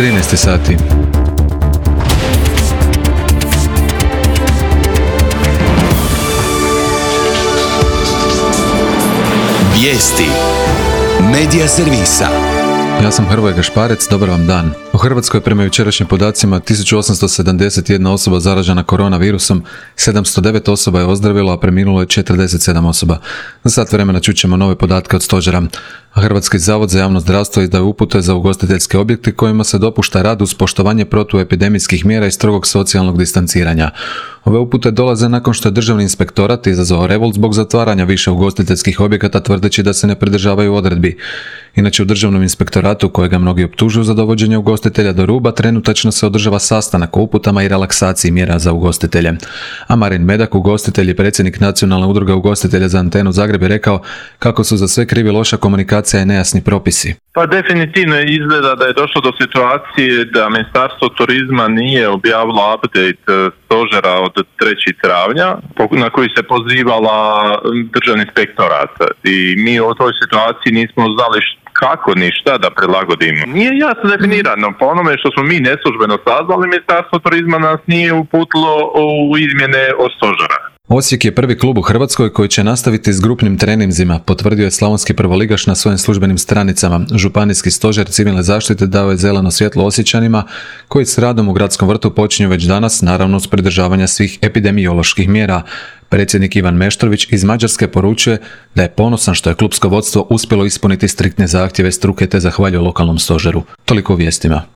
13 sati. Vijesti Medija servisa. Ja sam Hrvoje Gašparec, dobar vam dan. U Hrvatskoj prema jučerašnjim podacima 1871 osoba zaražena koronavirusom, 709 osoba je ozdravilo, a preminulo je 47 osoba. Za sat vremena čućemo nove podatke od stožera. Hrvatski zavod za javno zdravstvo izdaje upute za ugostiteljske objekte kojima se dopušta rad uz poštovanje protuepidemijskih mjera i strogog socijalnog distanciranja. Ove upute dolaze nakon što je Državni inspektorat izazvao revolt zbog zatvaranja više ugostiteljskih objekata tvrdeći da se ne pridržavaju odredbi. Inače, u Državnom inspektoratu, kojega mnogi optužuju za dovođenje ugostitelja do ruba, trenutačno se održava sastanak o uputama i relaksaciji mjera za ugostitelje. A Marin Medak, ugostitelj i predsjednik Nacionalne udruge ugostitelja za Antenu Zagreb, je rekao kako su za sve krivi loša komunikacija i nejasni propisi. Pa definitivno izgleda da je došlo do situacije da Ministarstvo turizma nije objavilo update stožera od 3. travnja na koji se pozivala Državni inspektorat. I mi u toj situaciji nismo znali kako ni šta da prilagodimo. Nije jasno definirano. Po onome što smo mi neslužbeno saznali, Ministarstvo turizma nas nije uputilo u izmjene od stožera. Osijek je prvi klub u Hrvatskoj koji će nastaviti s grupnim treninzima, potvrdio je slavonski prvoligaš na svojim službenim stranicama. Županijski stožer civilne zaštite dao je zeleno svjetlo Osječanima, koji s radom u gradskom vrtu počinju već danas, naravno uz pridržavanja svih epidemioloških mjera. Predsjednik Ivan Meštrović iz Mađarske poručuje da je ponosan što je klubsko vodstvo uspjelo ispuniti striktne zahtjeve struke te zahvaljuje lokalnom stožeru. Toliko u vijestima.